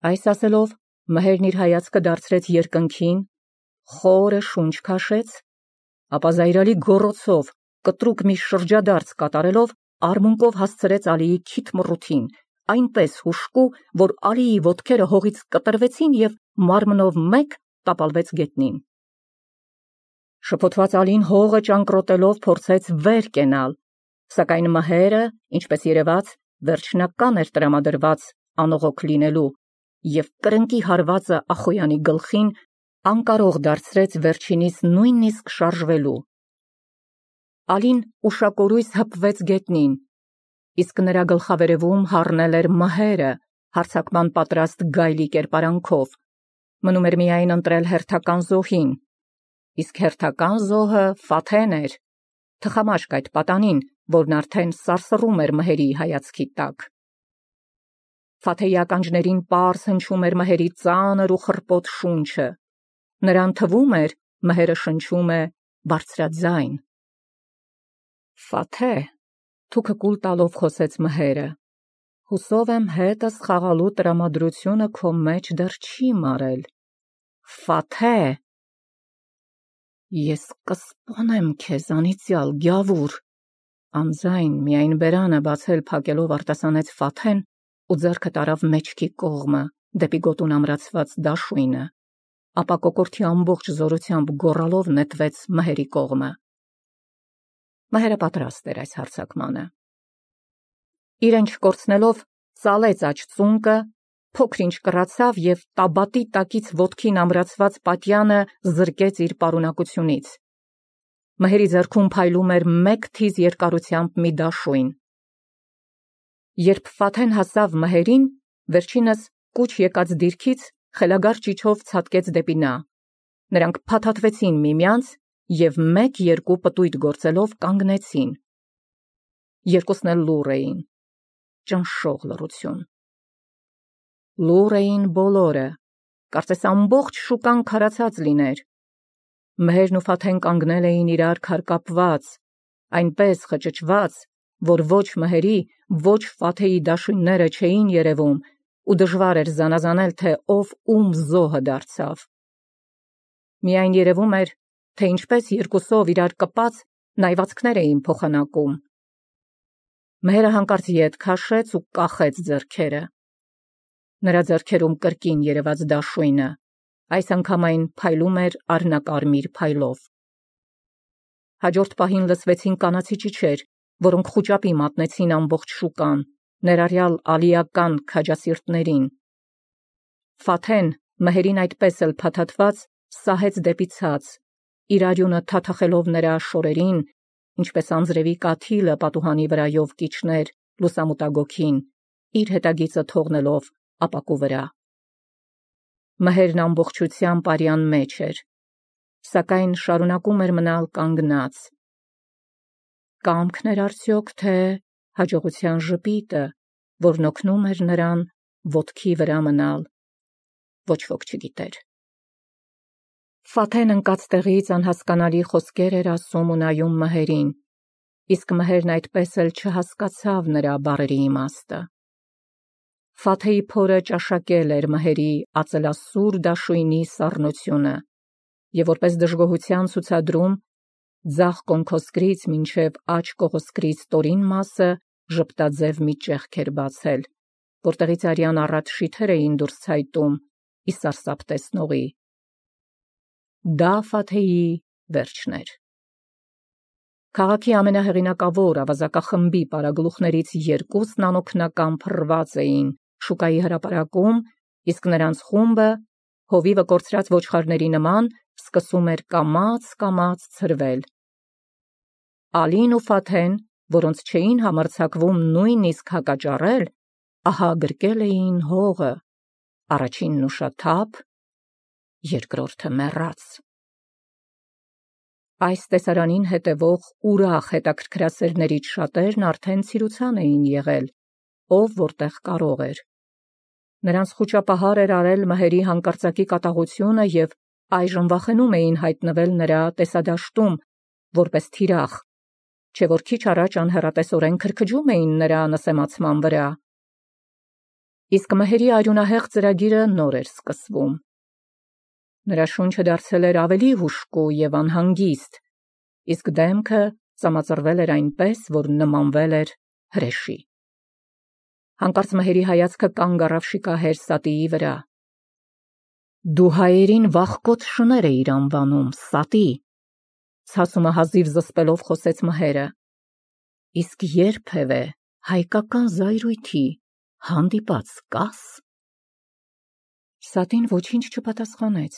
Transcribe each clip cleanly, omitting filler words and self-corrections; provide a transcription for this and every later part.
Այս ասելով մհերն իր հայացքը դարձրեց երկնքին, խորը շունչ քաշեց, ապա զայրալի գոռոցով կտրուկ մի շրջադարձ կատարելով արմունկով հասցրեց Ալիի քիթ մռութին, այնպես հուժկու, որ Ալիի ոտքերը հողից կտրվեցին և մարմնով մեկ տապալվեց գետնին։ Շփոթված Ալին հողը ճանկռոտելով փորձեց վեր կենալ, սակայն մհերը, ինչպես երևաց, վերջնական էր տրամադրված անողոք լինելու և կրնկի հարվածը Ախոյանի գլխին անկարող դարձրեց վերջինից նույնիսկ շարժվելու։ Ալին ուշակորույս հպվեց գետնին, իսկ նրա գլխավերևում հառնել էր մհերը հարձակման պատրաստ գայլի կերպարանքով, մնում էր միայն ընտրել հերթական զոհին, իսկ հերթական զոհը Ֆաթեն էր, թխամաշկ այդ պատանին, որն արդեն սարսռում էր մհերի հայացքի տակ։ Ֆաթեի ականջներին պարզ հնչում էր մհերի ծանր ու խռպոտ շունչը, նրան թվում էր մհերը շնչում է բարձրաձայն։ Ֆաթե, թուքը կուլ տալով խոսեց մհերը, հուսով եմ հետս խաղալու տրամադրությունը քո մեջ դեռ չի մարել։ Ֆաթե, ես կսպանեմ քեզ անիծյալ գյավուր, անձայն միայն բերանը բացել փակելով արտասանեց Ֆաթեն ու ձեռքը տարավ մեջքի կողմը, դեպի գոտուն ամրացված դաշույնը, ապա կոկորդի ամբողջ զորությամբ գոռալով նետվեց մհերի կողմը։ Մհերը պատրաստ էր այս հարձակմանը։ Իրեն չկորցնելով ծալեց աջ ծունկը, փոքր-ինչ կռացավ և տաբատի տակից ոտքին ամրացված պատյանը զրկեց իր պարունակությունից։ Մհերի ձեռքում փայլում էր մեկ թիզ երկարությամբ մի դաշույն։ Երբ Ֆաթեն հասավ մհերին, վերջինս կուչ եկած դիրքից խելագար ճիչով ցատկեց դեպի նա։ Նրանք փաթաթվեցին միմյանց և մեկ-երկու պտույտ գործելով կանգնեցին։ Երկուսն էլ լուռ էին, ճնշող լռություն։ Լուռ էին բոլորը, կարծես ամբողջ շուկան քարացած լիներ։ Մհերն ու Ֆաթեն կանգնել էին իրար քարկապված, այնպես խճճված, որ ոչ մհերի, ոչ Ֆաթեի դաշույնները չէին երևում ու դժվար էր զանազանել, թե ով ում զոհը դարձավ։ Միայն երևում էր, թե ինչպես երկուսով իրար կպած նայվածքներ էին փոխանակում։ Մհերը հանկարծ ետ քաշեց ու կախեց ձեռքերը։ Նրա ձեռքերում կրկին երևաց դաշույնը, այս անգամ այն փայլում էր արհնակարմիր փայլով։ Հաջորդ պահին լսվեցին կանացի ճիչեր, որոնք խուճապի մատնեցին ամբողջ շուկան, ներառյալ ալիական քաջասիրտներին։ Ֆաթեն, մհերին այդպես էլ փաթաթված, սահեց դեպի ցած, իր արյունը թաթախելով նրա շորերին, ինչպես անձրևի կաթիլը պատուհանի վրայով կիջներ լուսամուտագոգին, իր հետագիծը թողնելով ապակու վրա։ Մհերն ամբողջությամբ արյան մեջ էր, սակայն շարունակում էր մնալ կանգնած։ Կամքն էր արդյոք, թե հաջողության ժպիտը, որն օգնում էր նրան ոտքի վրա մնալ, ոչ ոք չգիտեր։ Ֆաթեն ընկած տեղից անհասկանալի խոսքեր էր ասում ու նայում մհերին, իսկ մհերն այդպես էլ չհասկացավ նրա բառերի իմաստը։ Ֆաթեի փորը ճաշակել էր մհերի ածելասուր դաշույնի սառնությունը և որպես դժգոհության ցուցադրում ձախ կոնքոսկրից մինչև աջ կողոսկրից ստորին մասը ժպտաձև մի ճեղք էր բացել, որտեղից արյան առատ շիթեր էին դուրս ցայտում ի սարսափ տեսնողի։ Դա Ֆաթեի վերջն էր։ Քաղաքի ամենահեղինակավոր ավազակախմբի պարագլուխներից երկուսն անօգնական փռված էին շուկայի հրապարակում, իսկ նրանց խումբը, հովիվը կորցրած ոչխարների նման, սկսում էր կամաց ցրվել։ Ալին ու Ֆաթեն, որոնց չէին համարձակվում նույնիսկ հակաճառել, ահա գրկել էին հողը, առաջինն ուշաթափ, երկրորդը մեռած։ Այս տեսարանին հետևող ուրախ հետաքրքրասերներից շատերն արդեն ցիրուցան էին եղել, ով որտեղ կարող էր։ Նրանց խուճապահար էր արել մհերի հանկարծակի կատաղությունը և այժմ վախենում էին հայտնվել նրա տեսադաշտում, որպես թիրախ, չէ որ քիչ առաջ անհեռատեսորեն քրքջում էին նրա նսեմացման վրա։ իսկ մհերի արյունահեղ ծրագիրը նոր էր սկսվում։ Նրա շունչը դարձել էր ավելի հուժկու և անհանգիստ, իսկ դեմքը ծամածրվել էր այնպես, որ նմանվել էր հրեշի։ Հանկարծ մհերի հայացքը կանգ առավ շիկահեր Սատիի վրա։ «Դու հայերին վախկոտ շներ էիր անվանում, Սատի», ցասումը հազիվ զսպելով խոսեց մհերը, իսկ երբևէ հայկական զայրույթի հանդիպած կաս։ Սատին ոչինչ չպատասխանեց,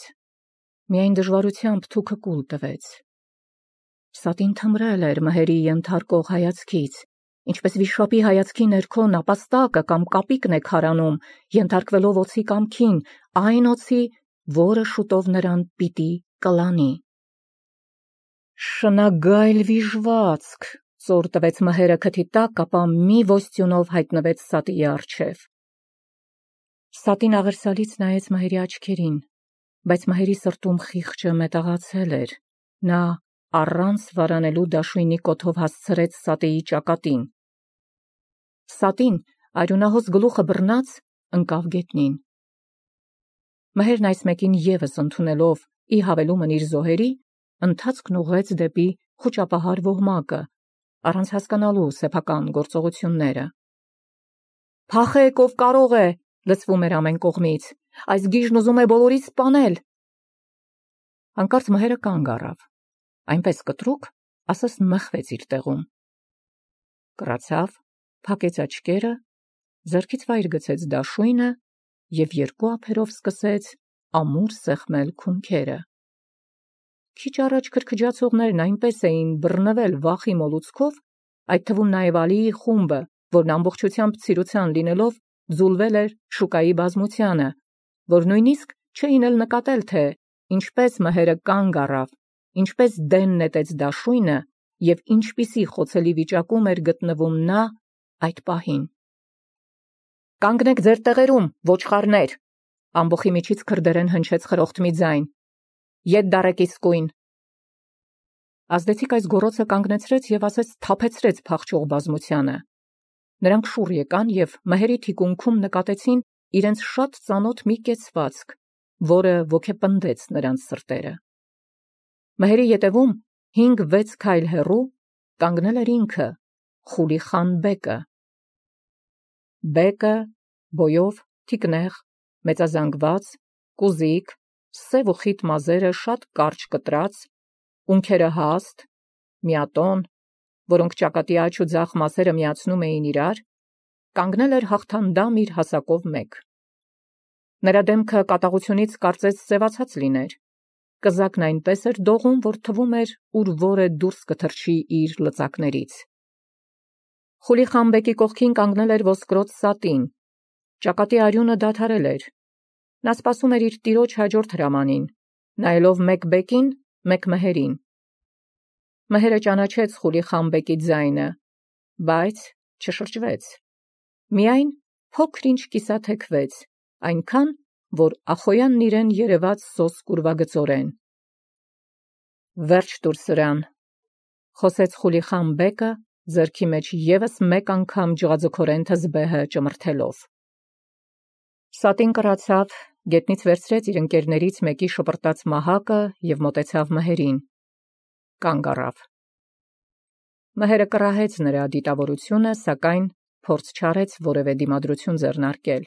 միայն դժվարությամբ թուքը կուլ տվեց։ Սատին թմրել էր մհերի ենթարկող հայացքից, ինչպես վիշապի հայացքի ներքո նապաստակը կամ կապիկն է քարանում, ենթարկվելով օձի կամքին, այն օձի, որը շուտով նրան պիտի կլանի։ «Շնագայլ վիժվածք», ծոր տվեց մհերը քթի տակ, ապա մի ոստյունով հայտնվեց Սատիի առջև։ Սատին աղերսալից նայեց մհերի աչքերին, բայց մհերի սրտում խիղճը մետաղացել էր։ Նա առանց վարանելու դաշույնի կոթով հասցրեց Սատիի ճակատին։ Սատին արյունահոս գլուխը բռնած ընկավ գետնին։ Մհերն այս մեկին ևս ընդունելով ի հավելումն իր զոհերի, ընթացքն ուղղեց դեպի խուճապահար ոհմակը, առանց հասկանալու սեփական գործողությունները։ «Փախեք, ով կարող է», լսվում էր ամեն կողմից, «այս գիժն ուզում է բոլորից սպանել»։ Հանկարծ մհերը կանգ առավ, այնպես կտրուկ, ասես մխվեց իր տեղում։ Կռացավ, փակեց աչքերը, ձեռքից վայր գցեց դաշույնը և երկու ափերով սկսեց ամուր սեղմել քունքերը։ Քիչ առաջ քրքջացողներն այնպես էին բռնվել վախի մոլուցքով, այդ թվում նաև Ալիի խումբը, որն ամբողջությամբ ցիրուցան լինելով ձուլվել էր շուկայի բազմությանը, որ նույնիսկ չէին էլ նկատել, թե ինչպես մհերը կանգ առավ, ինչպես դեն նետեց դաշույնը և ինչպիսի խոցելի վիճակում էր գտնվում նա այդ պահին։ «Կանգնեք ձեր տեղերում, ոչխարներ», ամբոխի միջից քրդերեն հնչեց խրոխտ մի ձայն։ «Ետ դարեք իսկույն»։ Ազդեցիկ այս գոռոցը կանգնեցրեց և ասես թափեցրեց փախչող բազմությանը։ Նրանք շուռ եկան և մհերի թիկունքում նկատեցին իրենց շատ ծանոթ մի կեցվածք, որը ոգեպնդեց նրանց սրտերը։ Մհերի ետևում 5-6 քայլ հեռու կանգնել էր ինքը, Խուլի խան բեկը։ Բեկը բոյով, թիկնեղ, մեծազանգված, կուզիկ, սև ու խիտ մազերը շատ կարճ կտրած, ունքերը հաստ, միատոն, որոնք ճակատի աջ ու ձախ մասերը միացնում էին իրար, կանգնել էր հաղթանդամ իր հասակով մեկ։ Նրա դեմքը կատաղությունից կարծես սևացած լիներ, կզակն այնպես էր դողում, որ թվում էր ուր որը դուրս կթռչի իր լծակներից։ Խուլի խան բեկի կողքին կանգնել էր ոսկրոտ Սատին, ճակատի արյունը դադարել էր։ Նա սպասում էր իր տիրոջ հաջորդ հրամանին, նայելով մեկ բեկին, մեկ մհերին։ Մհերը ճանաչեց Խուլի խան բեկի ձայնը, բայց չշրջվեց։ Միայն փոքր-ինչ կիսաթեքվեց, այնքան, որ Ախոյանն իրեն երևաց սոսկ ուրվագծորեն։ «Վերջ տուր սրան», խոսեց Խուլի խան բեկը, ձեռքի մեջ ևս մեկ անգամ ջղաձգորեն թզբեհը ճմրթելով։ Սատին կռացավ, գետնից վերցրեց իր ընկերներից մեկի շպրտած մահակը և մոտեցավ մհերին։ Կանգ առավ։ Մհերը կռահեց նրա դիտավորությունը, սակայն փորձ չարեց որևէ դիմադրություն ձեռնարկել։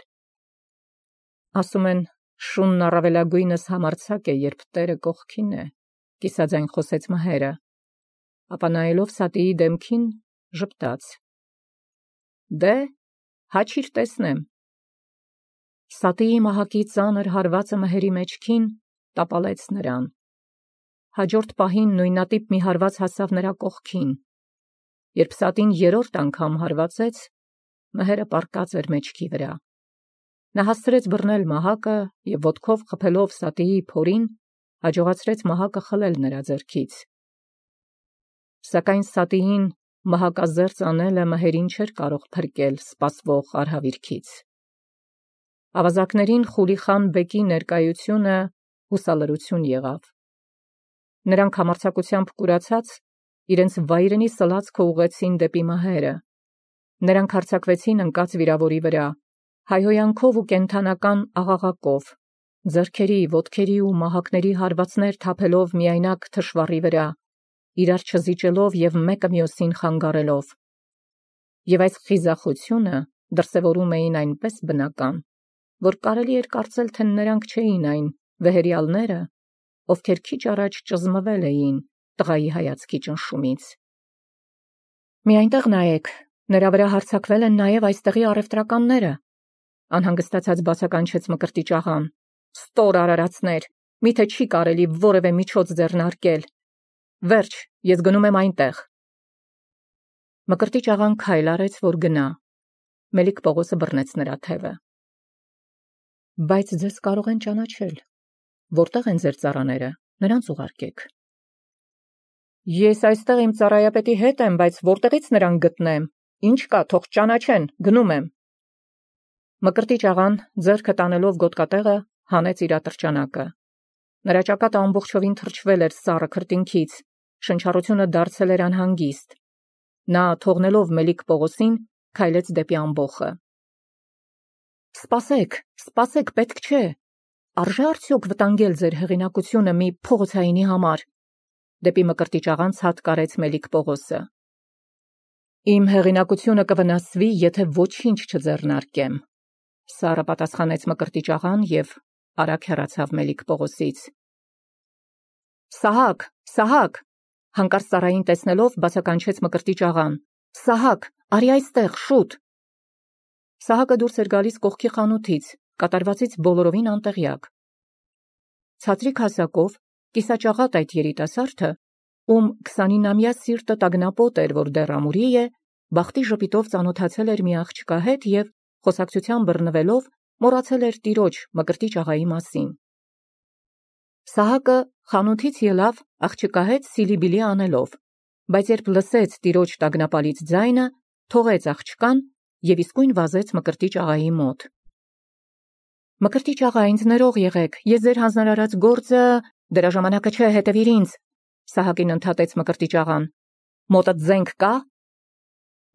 Ասում են, շունն առավելագույնս համարձակ է, երբ տերը կողքին է, կիսաձայն խոսեց մհերը, ապա նայելով Սատիի դեմքին ժպտաց. «Դե, հաչիր տեսնեմ»։ Սատիի մահակի ծանր հարվածը մհերի մեջքին տապալեց նրան։ Հաջորդ պահին նույնատիպ մի հարված հասավ նրա կողքին։ Երբ Սատին երրորդ անգամ հարվածեց, մհերը պառկած էր մեջքի վրա։ Նա հասցրեց բռնել մահակը և ոտքով խփելով Սատիի փորին, հաջողացրեց մահակը խլել նրա ձեռքից։ Սակայն Սատիին մահակազերծ անելը մհերին չէր կարող փրկել սպասվող արհավիրքից։ Ավազակներին Խուլի խան բեկի ներկայությունը հուսալրություն եղավ։ Նրանք համարձակությամբ կուրացած իրենց վայրենի սլացքը ուղղեցին դեպի մհերը։ Նրանք հարձակվեցին ընկած վիրավորի վրա, հայհոյանքով ու կենդանական աղաղակով, ձեռքերի, ոտքերի ու մահակների հարվածներ թափելով միայնակ թշվառի վրա, իրար չզիջելով և մեկը մյուսին խանգարելով։ Եվ այս խիզախությունը դրսևորում էին այնպես բնական, որ կարելի էր կարծել, թե նրանք չէին այն վեհերյալները, ովքեր քիչ առաջ ճզմվել էին տղայի հայացքի ճնշումից։ «Մի այնտեղ նայեք, նրա վրա հարձակվել են նաև այստեղի առևտրականները», անհանգստացած բացականչեց Մկրտիչ աղան։ «Ստոր արարածներ, միթե չի կարելի որևէ միջոց ձեռնարկել։ Վերջ, ես գնում եմ այնտեղ»։ Մկրտիչ աղան քայլ արեց, որ գնա։ Մելիք Պողոսը բռնեց նրա թևը։ «Բայց ձեզ կարող են ճանաչել։ Որտեղ են ձեր ծառաները, նրանց ուղարկեք»։ «Ես այստեղ իմ ծառայապետի հետ եմ, բայց որտեղից նրան գտնեմ, ինչ կա, թող ճանաչեն, գնում եմ»։ Մկրտիչ աղան, ձեռքը տանելով գոտկատեղը, հանեց իր ատրճանակը։ Նրա ճակատը ամբողջովին թրջվել էր սառը քրտինքից, շնչառությունը դարձել էր անհանգիստ։ Նա, թողնելով Մելիք Պողոսին, քայլեց դեպի ամբոխը։ Սպասեք, պետք չէ։ Արժե արդյոք վտանգել ձեր հեղինակությունը մի փողոցայինի համար։ Դեպի Մկրտիչ աղան ցատկարեց Մելիք Պողոսը։ Իմ հեղինակությունը կվնասվի, եթե ոչինչ չձեռնարկեմ, սառը պատասխանեց Մկրտիչ աղան և արագ հեռացավ Մելիք Պողոսից։ Սահակ, հանկարծ ծառային տեսնելով բացականչեց Մկրտիչ աղան։ Սահակ, արի այստեղ, շուտ։ Սահակը դուրս էր գալիս կողքի խանութից, կատարվածից բոլորովին անտեղյակ։ Ցածրիկ հասակով, կիսաճաղատ այդ երիտասարդը, ում 29-ամյա սիրտը տագնապոտ էր, որ դեռ ամուրի է, բախտի ժպիտով ծանոթացել էր մի աղջկա հետ և, խոսակցության բռնվելով, մոռացել էր տիրոջ Մկրտիչ աղայի մասին։ Սահակը խանութից ելավ աղջկա հետ սիլիբիլի անելով, բայց երբ լսեց տիրոջ տագնապալից ձայնը, թողեց աղջկան և իսկույն վազեց Մկրտիչ աղայի մոտ։ Մկրտիչ աղա, ինձ ներող եղեք, ես ձեր հանձնարարած գործը… Դրա ժամանակը չէ, հետևիր ինձ, Սահակին ընդհատեց Մկրտիչ աղան։ Մոտդ զենք կա։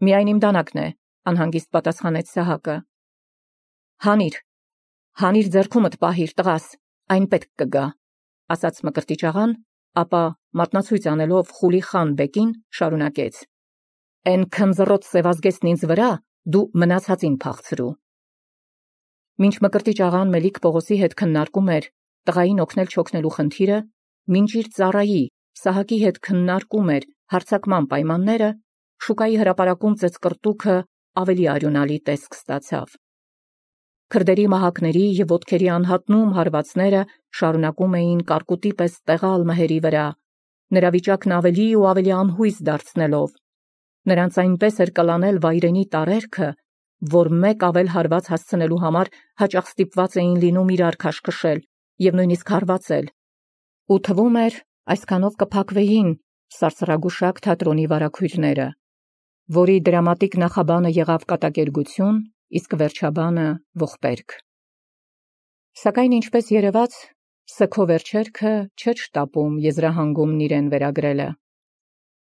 Միայն իմ դանակն է, անհանգիստ պատասխանեց Սահակը։ Հանիր ձեռքումդ պահիր, տղաս, այն պետք կգա, ասաց Մկրտիչ աղան, ապա մատնացույց անելով Խուլի խան բեկին շարունակեց. Էն քնձռոտ սևազգեստն ինձ վրա դու մնացածին փախցրու։ Մինչ Մկրտիչ աղան Մելիք Պողոսի հետ քննարկում էր տղային օգնել չօգնելու խնդիրը, մինչ իր ծառայի Սահակի հետ քննարկում էր հարձակման պայմանները, շուկայի հրապարակում ծեծկռտուքը ավելի արյունալի տեսք ստացավ։ Քրդերի մահակների և ոտքերի անհատնում հարվածները շարունակում էին կարկուտի պես տեղալ մհերի վրա, նրա վիճակն ավելի ու ավելի անհույս դարձնելով։ Նրանց այնպես էր կլանել վայրենի տարերքը, որ մեկ ավել հարված հասցնելու համար հաճախ ստիպված էին լինում իրար քաշքշել և նույնիսկ հարվածել։ Ու թվում էր, այսքանով կփակվեին սարսռագուշակ թատրոնի վարագույրները, որի դրամատիկ նախաբանը եղավ կատակերգություն, իսկ վերջաբանը ողբերգ։ Սակայն ինչպես երևաց, սգո վերջերքը չէր շտապում եզրահանգումն իրեն վերագրելը։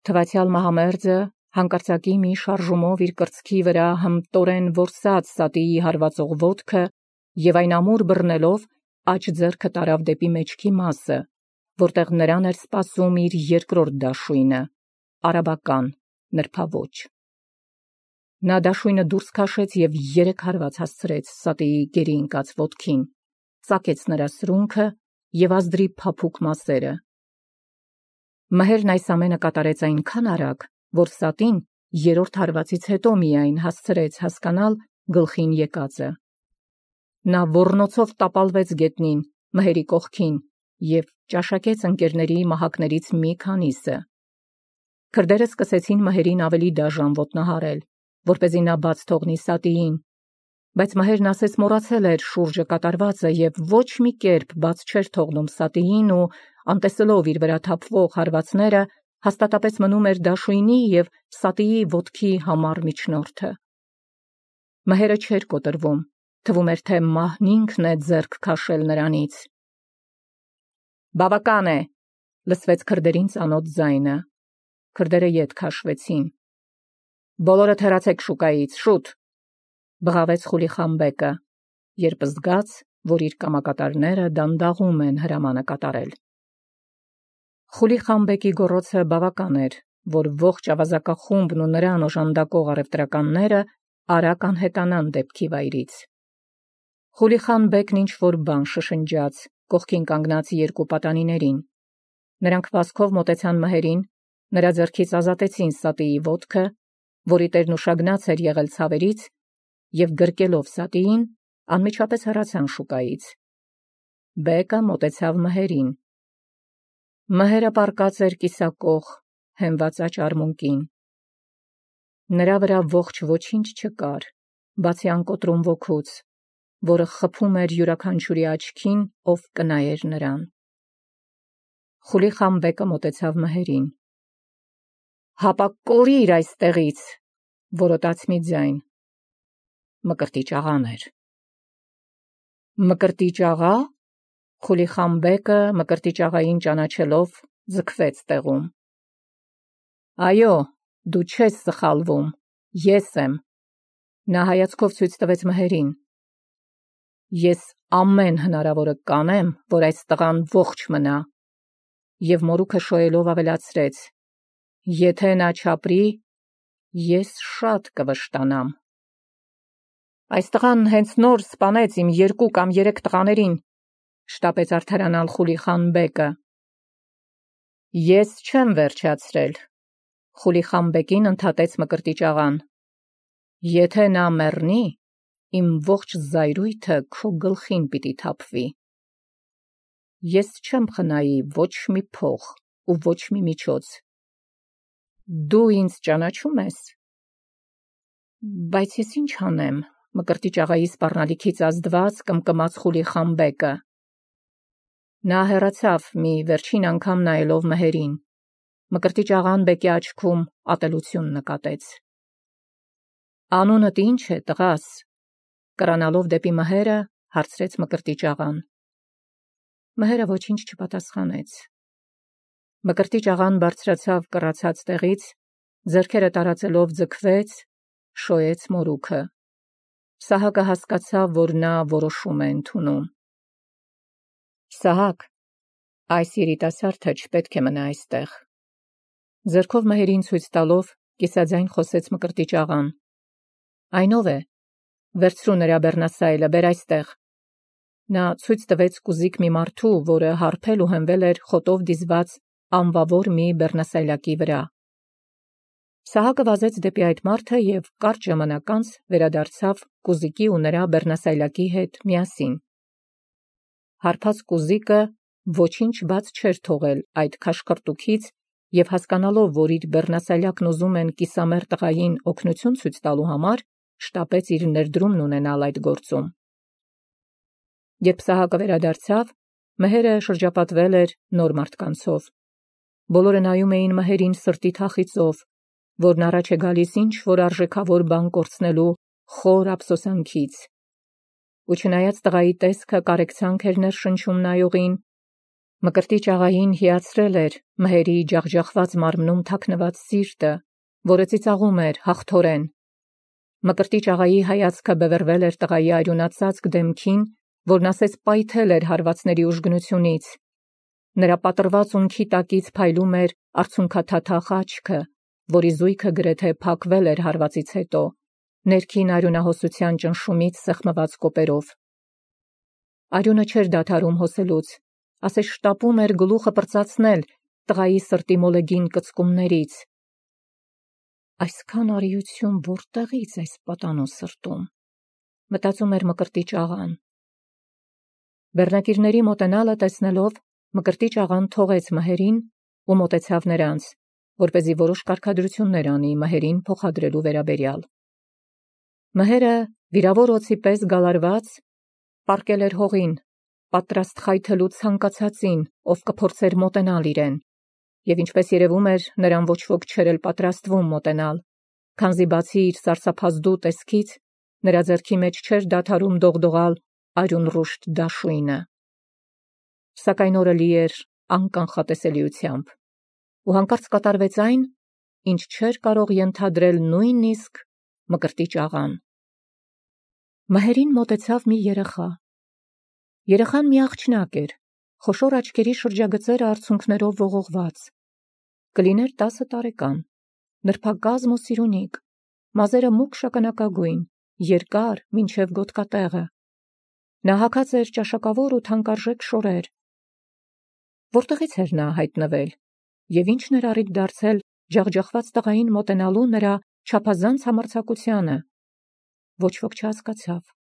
Թվացյալ մահամերձը հանկարծակի մի շարժումով իր կրծքի վրա հմտորեն որսաց Սատիի հարվածող ոտքը և այն ամուր բռնելով աջ ձեռքը տարավ դեպի մեջքի մասը, որտեղ նրան էր սպասում իր երկրորդ դաշույնը, արաբական, նրբաոճ։ Նա դաշույնը դուրս քաշեց և 3 հարված հասցրեց Սատիի գերի ընկած ոտքին, ծակեց նրա սրունքը և ազդրի փափուկ մասերը։ Մհերն այս ամենը կատարեց այնքան արագ, որ Սատին 3-րդ հարվածից հետո միայն հասցրեց հասկանալ գլխին եկածը։ Նա ոռնոցով տապալվեց գետնին, մհերի կողքին և ճաշակեց ընկերների մահակներից մի քանիսը։ Քրդերը սկսեցին մհերին ավելի դաժան ոտնահարել, որպեսզի նա բաց թողնի Սատիին, բայց մհերն ասես մոռացել էր շուրջը կատարվածը և ոչ մի կերպ բաց չէր թողնում Սատիին ու, անտեսելով իր վրա թափվող հարվածները, հաստատապես մնում էր դաշույնի և Սատիի ոտքի համառ միջնորդը։ Մհերը չէր կոտրվում, թվում էր, թե մահն ինքն է ձեռք քաշել նրանից։ Բավական է, լսվեց քրդերին ծանոթ ձայնը։ Քրդերը ետ քաշվեցին։ Բոլորդ հեռացեք շուկայից, շուտ։ Բղավեց Խուլիխան բեկը, երբ զգաց, որ իր կամակատարները դանդաղում են հրամանը կատարել։ Խուլիխան բեկի գոռոցը բավական էր, որ ողջ ավազակախումբն ու նրան օժանդակող առևտրականները արագ անհետանան դեպքի վայրից։ Խուլիխան բեկն ինչ-որ բան շշնջաց կողքին կանգնած երկու պատանիներին։ Նրանք վազքով մոտեցան մհերին, նրա ձեռքից ազատեցին սատիի ոտքը, որի տերն ուշագնաց էր եղել ցավերից, և գրկելով սատիին, անմիջապես հեռացան շուկայից։ Բեկը մոտեցավ մհերին։ Մհերը պառկած էր կիսակող, հենված աջ արմունկին։ Նրա վրա ողջ ոչինչ չկար, բացի անկոտրում ոգուց, որը խփում էր յուրաքանչյուրի աչքին, ով կնայեր նրան։ Խուլիխան բեկը մոտեցավ մհերին։ «Հապա կորիր այստեղից», որոտաց մի ձայն։ Մկրտիչ աղան էր։ «Մկրտիչ աղա»։ Խուլիխան բեկը մկրտիչ աղային ճանաչելով ձգվեց տեղում։ «Այո, դու չես սխալվում, ես եմ», նա հայացքով ցույց տվեց մհերին։ «Ես ամեն հնարավորը կանեմ, որ այս տղան ողջ մնա», և մորուքը շոյելով ավելացրեց. «Եթե նա չապրի, ես շատ կվշտանամ»։ «Այս տղան հենց նոր սպանեց իմ 2 կամ 3 տղաներին», շտապեց արդարանալ Խուլիխան բեկը։ «Ես չեմ վերջացրել», Խուլիխան բեկին ընդհատեց մկրտիչ աղան։ «Եթե նա մեռնի, իմ ողջ զայրույթը քո գլխին պիտի թափվի։ Ես չեմ խնայի ոչ մի փող ու ոչ մի միջոց։ Դու ինձ ճանաչում ես»։ «Բայց ես ինչ անեմ», մկրտիչ աղայի սպառնալիքից ազդված կմկմաց Խուլիխան բեկը։ Նա հեռացավ մի վերջին անգամ նայելով մհերին։ Մկրտիչ աղան բեկի աչքում ատելություն նկատեց։ «Անունդ ի՞նչ է, տղաս», կրանալով դեպի մհերը, հարցրեց մկրտիչ աղան։ Մհերը ոչինչ չպատասխանեց։ Մկրտիչ աղան բարձրացավ կռացած տեղից, ձեռքերը տարածելով ձգվեց, շոյեց մորուքը։ Սահակը հասկացավ, որ նա որոշում է ընդունում։ «Սահակ, այս երիտասարդը չպետք է մնա այստեղ», ձեռքով մհերին ցույց տալով կիսաձայն խոսեց մկրտիչ աղան։ «Այն ով է, վերցրու նրա բեռնասայլը, բեր այստեղ»։ Նա ցույց տվեց կուզիկ մի մարդու, որը հարբել ու հենվել էր խոտով դիզված անվավոր մի բեռնասայլակի վրա։ Սահակը վազեց դեպի այդ մարդը և կարճ ժամանակ անց վերադարձավ կուզիկի ու նրա բեռնասայլակի հետ միասին։ Հարբած կուզիկը ոչինչ բաց չէր թողել այդ քաշքրտուքից և հասկանալով, որ իր բեռնասայլակն ուզում են կիսամեռ տղային օգնություն ցույց տալու համար, շտապեց իր ներդրումն ունենալ այդ գործում։ Երբ Սահակը վերադարձավ, մհերը շրջապատվել էր նոր մարդկանցով։ Բոլորը նայում էին մհերին սրտի թախիծով, որն առաջ է գալիս ինչ-որ արժեքավոր բան կորցնելու խոր ափսոսանքից։ Ու չնայած տղայի տեսքը կարեկցանք էր ներշնչում նայողին, մկրտիչ աղային հիացրել էր մհերի ջախջախված մարմնում թաքնված սիրտը, որը ծիծաղում էր հաղթորեն։ Մկրտիչ աղայի հայացքը բևեռվել էր տղայի արյունածածկ դեմքին, որն ասես պայթել էր հարվածների ուժգնությունից։ Նրա պատռված ունքի տակից փայլում էր արցունքաթաթախ աչքը, որի զույգը գրեթե փակվել էր հարվածից հետո, ներքին արյունահոսության ճնշումից սեղմված կոպերով։ Արյունը չէր դադարում հոսելուց, ասես շտապում էր գլուխը պրծացնել տղայի սրտի մոլեգին կծկումներից։ Այսքան արիություն որտեղից այս պատանու սրտում, մտածում էր մկրտիչ աղան։ Բեռնակիրների մոտենալը տեսնելով, մկրտիչ աղան թողեց մհերին ու մոտեցավ նրանց, որպեսզի որոշ կարգադրություններ անի մհերին փոխադրելու վերաբերյալ։ Մհերը, վիրավոր օձի պես գալարված, պառկել էր հողին, պատրաստ խայթելու ցանկացածին, ով կփորձեր մոտենալ իրեն, և ինչպես երևում էր, նրան ոչ ոք չէր էլ պատրաստվում մոտենալ, քանզի բացի իր սարսափազդու տեսքից, նրա ձեռքի մեջ չէր դադարում դողդողալ արյունռուշտ դաշույնը։ Սակայն օրը լի էր անկանխատեսելիությամբ, ու հանկարծ կատարվեց այն, ինչ չէր կարող ենթադրել նույնիսկ մկրտիչ աղան։ Մհերին մոտեցավ մի երեխա։ Երեխան մի աղջնակ էր, խոշոր աչքերի շրջագծերը արցունքներով ողողված։ Կլիներ 10 տարեկան, նրբակազմ ու սիրունիկ, մազերը մուգ շագանակագույն, երկար մինչև գոտկատեղը։ Նա հագած էր ճաշակավոր ու թանկարժեք շորեր։ Որտեղից էր նա հայտնվել, և ինչն էր առիթ դարձել ջախջախված տղային մոտենալու նրա չափազանց համարձակությանը։ Ոչ ոք չհասկացավ։